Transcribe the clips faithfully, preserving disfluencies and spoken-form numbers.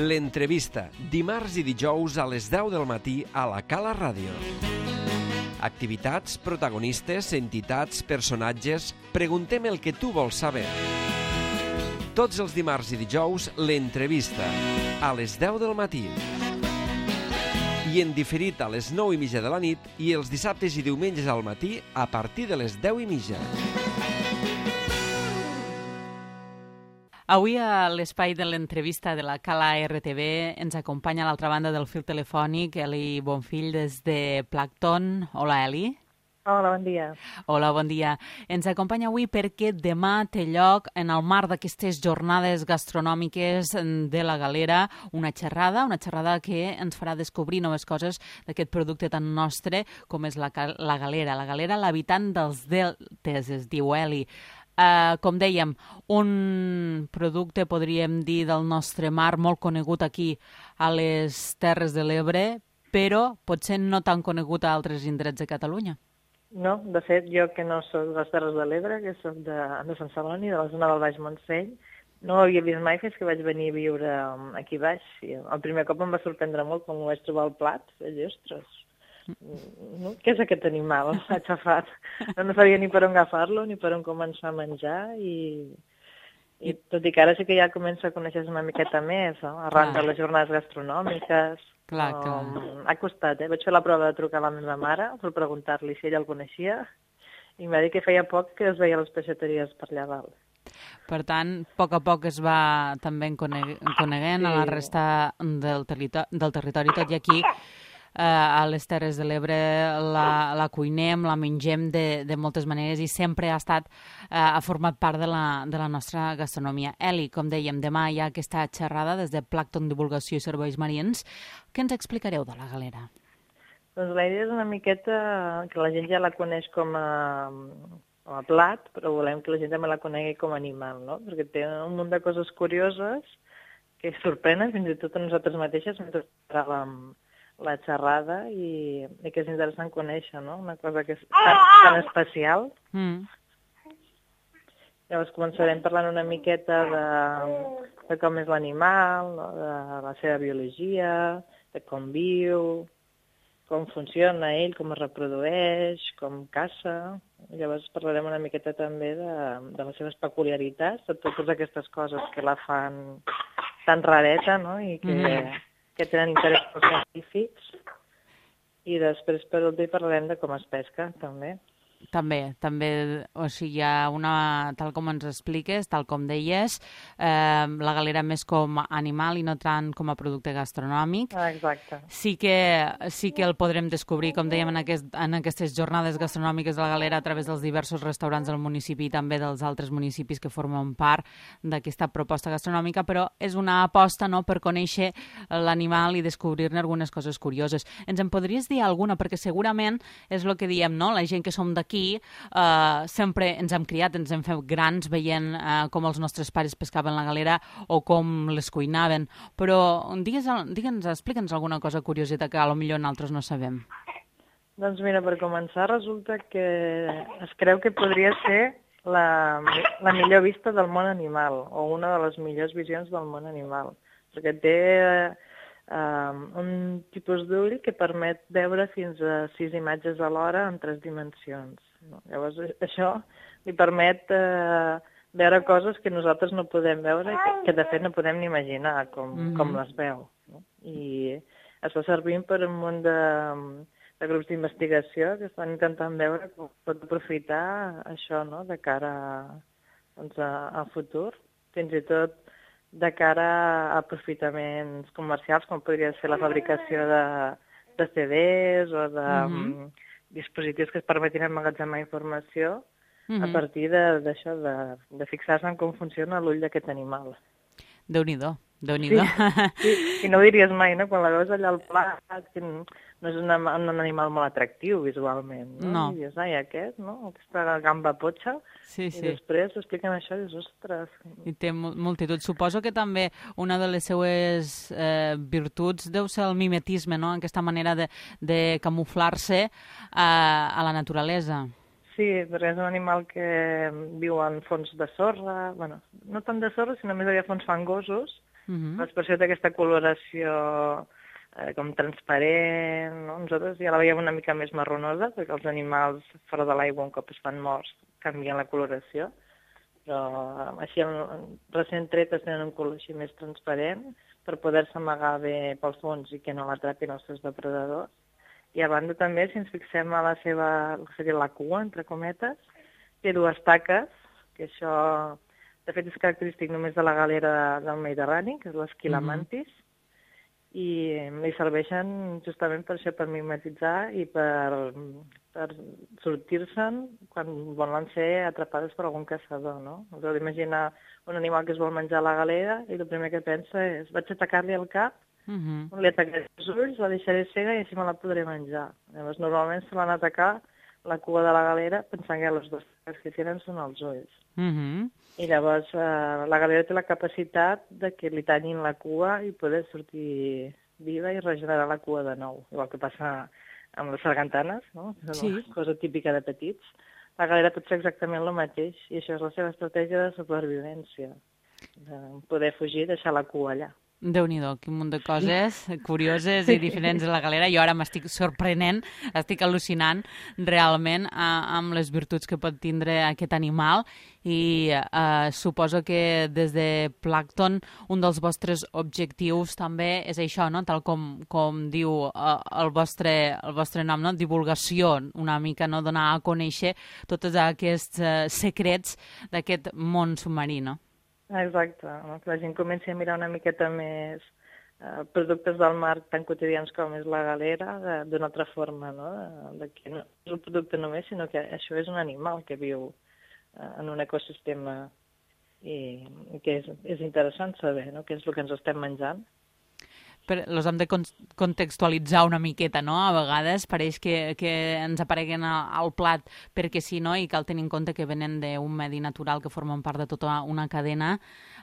L'entrevista, dimarts i dijous a les deu del matí a la Cala Ràdio. Activitats, protagonistes, entitats, personatges... Preguntem el que tu vols saber. Tots els dimarts i dijous, l'entrevista, a les deu del matí. I en diferit a les nou i mitja de la nit i els dissabtes i diumenges al matí a partir de les deu i mitja. Avui a l'espai de l'entrevista de la Cala R T V ens acompanya a l'altra banda del fil telefònic Eli Bonfill des de Plankton. Hola, Eli. Hola, bon dia. Hola, bon dia. Ens acompanya avui perquè demà té lloc, en el marc d'aquestes jornades gastronòmiques de la Galera, una xerrada, una xerrada que ens farà descobrir noves coses d'aquest producte tan nostre com és la, la Galera. La Galera, l'habitant dels deltes, es diu Eli. Uh, com dèiem, un producte, podríem dir, del nostre mar, molt conegut aquí a les Terres de l'Ebre, però potser no tan conegut a altres indrets de Catalunya. No, de fet, jo que no soc de les Terres de l'Ebre, que soc de, de Sant Celoni, de la zona del Baix Montseny, no ho havia vist mai fins que vaig venir a viure aquí baix. I el primer cop em va sorprendre molt quan ho vaig trobar al plat. Vaig dir, ostres, no? Què és aquest animal aixafat? No sabia ni per on agafar-lo, ni per on començar a menjar, i, i tot i que ara sí que ja comença a conèixer una miqueta més, no? Arran de les jornades gastronòmiques. Clar, um, clar. Ha costat, eh? Vaig fer la prova de trucar a la meva mare per preguntar-li si ella el coneixia, i em va dir que feia poc que es veia a les peixateries per allà dalt. Per tant, a poc a poc es va també coneguent sí. a la resta del, territori, del territori, tot i aquí Uh, a les Terres de l'Ebre la, la cuinem, la mengem de, de moltes maneres i sempre ha estat uh, ha format part de la, de la nostra gastronomia. Eli, com dèiem, demà hi ha aquesta xerrada des de Plankton Divulgació i Serveis Marins. Què ens explicareu de la Galera? Doncs la idea és una miqueta que la gent ja la coneix com a, com a plat, però volem que la gent també la conegui com a animal, no? Perquè té un munt de coses curioses que sorprenen fins i tot a nosaltres mateixes mentre parlàvem la xerrada, i, i que és interessant conèixer, no? Una cosa que és tan, tan especial. Mm. Llavors començarem parlant una miqueta de, de com és l'animal, no? De la seva biologia, de com viu, com funciona ell, com es reprodueix, com caça. Llavors parlarem una miqueta també de, de les seves peculiaritats, de totes aquestes coses que la fan tan rareta, no? I que... Mm. que tenen interès pels científics, i després per últim parlarem de com es pesca, també. També, també, o sigui, hi ha una, tal com ens expliques, tal com deies, eh, la Galera més com a animal i no tant com a producte gastronòmic. Ah, exacte. Sí que, sí que el podrem descobrir, com dèiem, en, aquest, en aquestes jornades gastronòmiques de la Galera a través dels diversos restaurants del municipi i també dels altres municipis que formen part d'aquesta proposta gastronòmica, però és una aposta, no?, per conèixer l'animal i descobrir-ne algunes coses curioses. Ens en podries dir alguna? Perquè segurament és el que diem, no?, la gent que som d'aquí aquí uh, sempre ens hem criat, ens hem fet grans veient uh, com els nostres pares pescaven la galera o com les cuinaven, però digues, digue'ns, explica'ns alguna cosa curioseta que potser nosaltres no sabem. Doncs mira, per començar, resulta que es creu que podria ser la, la millor vista del món animal, o una de les millors visions del món animal, perquè té uh, un tipus d'ull que permet veure fins a sis imatges alhora en tres dimensions. No? Llavors, això li permet uh, veure coses que nosaltres no podem veure i que, que de fet no podem ni imaginar com, mm-hmm. com les veu. No? I està servint per un munt de, de grups d'investigació que estan intentant veure com pot aprofitar això, no?, de cara doncs, al futur, fins i tot de cara a aprofitaments comercials, com podria ser la fabricació de, de C Ds o de mm-hmm. dispositius que es permetin emmagatzemar informació mm-hmm. a partir d'això, de, de, de fixar-se en com funciona l'ull d'aquest animal. Déu-n'hi-do, Déu-n'hi-do. Sí, sí, i no ho diries mai, no?, quan la veus allà al plat, que no és una, un animal molt atractiu visualment, no? No. I dius, ai, aquest, no?, aquesta gamba potxa, sí, sí. I després expliquen això i dius, ostres. I té multitud. Suposo que també una de les seues eh, virtuts deu ser el mimetisme, no?, aquesta manera de, de camuflar-se a, a la naturalesa. Sí, perquè és un animal que viu en fons de sorra, bueno, no tant de sorra, sinó més aviat fons fangosos, Mm-hmm. L'expressió d'aquesta coloració eh, com transparent, no? Nosaltres ja la veiem una mica més marronosa, perquè els animals fora de l'aigua, un cop es fan morts, canvien la coloració, però així recent tretes tenen un color així més transparent per poder-se amagar bé pel fons i que no l'atrapin els seus depredadors. I a banda també, si ens fixem a la seva, seria la cua, entre cometes, té dues taques, que això de fet és característic només de la galera del Mediterrani, que és l'esquila mantis, mm-hmm. i li serveixen justament per això, per mimetitzar i per, per sortir-se'n quan volen ser atrapades per algun caçador, no? Us heu d'imaginar un animal que es vol menjar la galera i el primer que pensa és vaig atacar-li el cap, uh-huh. li atacaré els ulls, la deixaré cega i així me la podré menjar. Llavors, normalment se van atacar la cua de la galera pensant que les dues taques que tenen són els ulls. Uh-huh. I llavors eh, la galera té la capacitat de que li tallin la cua i poder sortir viva i regenerar la cua de nou, igual que passa amb les sargantanes, no? És una sí. cosa típica de petits. La galera pot fer exactament el mateix i això és la seva estratègia de supervivència, de poder fugir i deixar la cua allà. Déu-n'hi-do, quin munt de coses curioses i diferents de la galera. Jo ara m'estic sorprenent, estic al·lucinant realment eh, amb les virtuts que pot tindre aquest animal i eh, suposo que des de Plàncton un dels vostres objectius també és això, no? Tal com, com diu eh, el, vostre, el vostre nom, no? Divulgació, una mica, no? Donar a conèixer tots aquests eh, secrets d'aquest món submarí, no? Exacte, no? Que la gent comenci a mirar una miqueta més eh, productes del mar tan quotidians com és la galera d'una altra forma, no? De, de que no és un producte només, sinó que això és un animal que viu eh, en un ecosistema i, i que és, és interessant saber, no? Què és el que ens estem menjant. Però els hem de contextualitzar una miqueta, no? A vegades pareix que, que ens apareguen al plat perquè sí, no? I cal tenir en compte que venen d'un medi natural que formen part de tota una cadena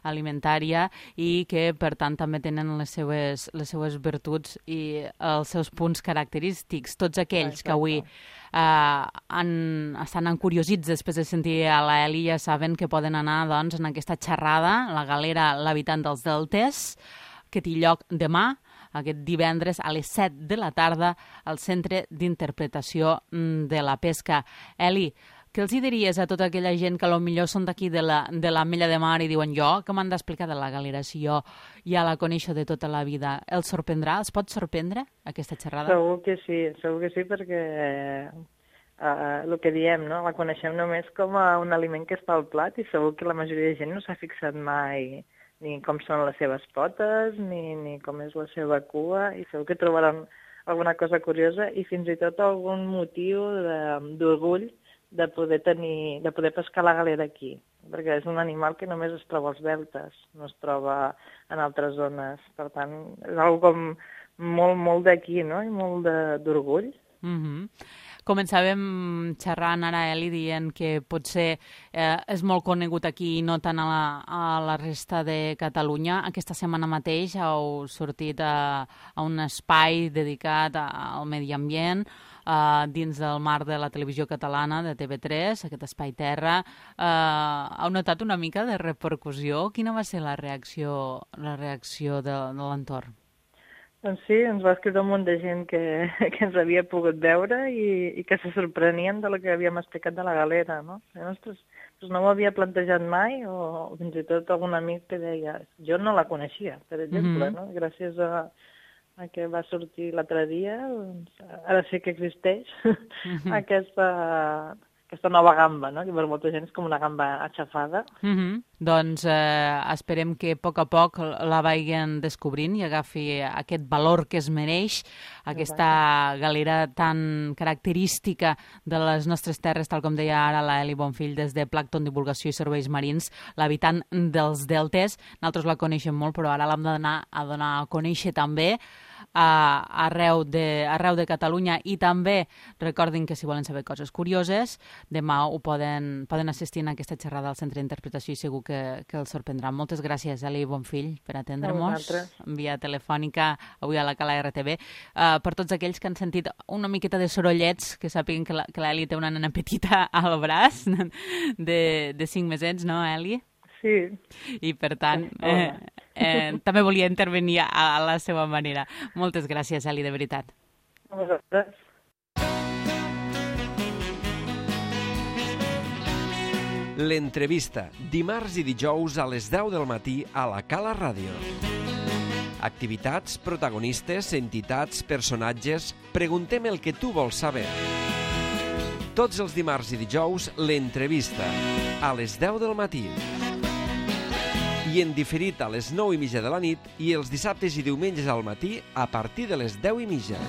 alimentària i que, per tant, també tenen les seues, les seues virtuts i els seus punts característics. Tots aquells que avui eh, han, estan encuriosits després de sentir a la Eli ja saben que poden anar doncs, en aquesta xerrada, la galera L'habitant dels deltes, que té lloc demà, aquest divendres a les set de la tarda, al Centre d'Interpretació de la Pesca. Eli, què els hi diries a tota aquella gent que potser són d'aquí de la, de l'Ametlla de Mar i diuen jo, que m'han d'explicar de la galera, si jo ja la coneixo de tota la vida? Els sorprendrà? Els pot sorprendre aquesta xerrada? Segur que sí, segur que sí, perquè uh, el que diem, no? La coneixem només com a un aliment que està al plat i segur que la majoria de gent no s'ha fixat mai ni com són les seves potes, ni, ni com és la seva cua, i segur que trobaran alguna cosa curiosa i fins i tot algun motiu d'orgull de, de poder tenir, de poder pescar la galera aquí, perquè és un animal que només es troba als deltes, no es troba en altres zones. Per tant, és una cosa com molt, molt d'aquí, no? I molt d'orgull. Mm-hmm. Començàvem xerrant ara, Eli, dient que potser eh, és molt conegut aquí i no tant a la, a la resta de Catalunya. Aquesta setmana mateix heu sortit a, a un espai dedicat a, al medi ambient eh, dins del marc de la televisió catalana de T V tres, aquest espai Terra. Eh, heu notat una mica de repercussió? Quina va ser la reacció, la reacció de, de l'entorn? Doncs sí, ens va escriure un munt de gent que, que ens havia pogut veure i, i que se sorprenien de lo que havíem explicat de la galera, no? Ostres, doncs no m'ho havia plantejat mai, o fins i tot algun amic que deia, jo no la coneixia, per exemple, mm-hmm. no? Gràcies a, a que va sortir l'altre dia, doncs, ara sí que existeix mm-hmm. aquesta... aquesta nova gamba, no? Que per molta gent és com una gamba aixafada. Mm-hmm. Doncs eh, esperem que a poc a poc la vagin descobrint i agafi aquest valor que es mereix, aquesta galera tan característica de les nostres terres, tal com deia ara la Eli Bonfill, des de Plàncton, Divulgació i Serveis Marins, l'habitant dels deltes. Nosaltres la coneixem molt, però ara l'hem d'anar a donar a conèixer també a, arreu, de, arreu de Catalunya, i també recordin que si volen saber coses curioses, demà ho poden, poden assistir a aquesta xerrada al Centre d'Interpretació i segur que, que els sorprendrà. Moltes gràcies, Eli Bonfill, per atendre-nos via telefònica avui a la Cala R T V. Uh, per tots aquells que han sentit una miqueta de sorollets, que sàpiguen que l'Eli té una nena petita al braç de, de cinc mesets, no, Eli? Sí. I per tant, eh, eh, també volia intervenir a la seva manera. Moltes gràcies, Eli, de veritat. A vosaltres. L'entrevista, dimarts i dijous a les deu del matí a la Cala Ràdio. Activitats, protagonistes, entitats, personatges... Preguntem el que tu vols saber. Tots els dimarts i dijous, l'entrevista, a les deu del matí. I en diferit a les nou i mitja de la nit i els dissabtes i diumenges al matí a partir de les deu i mitja.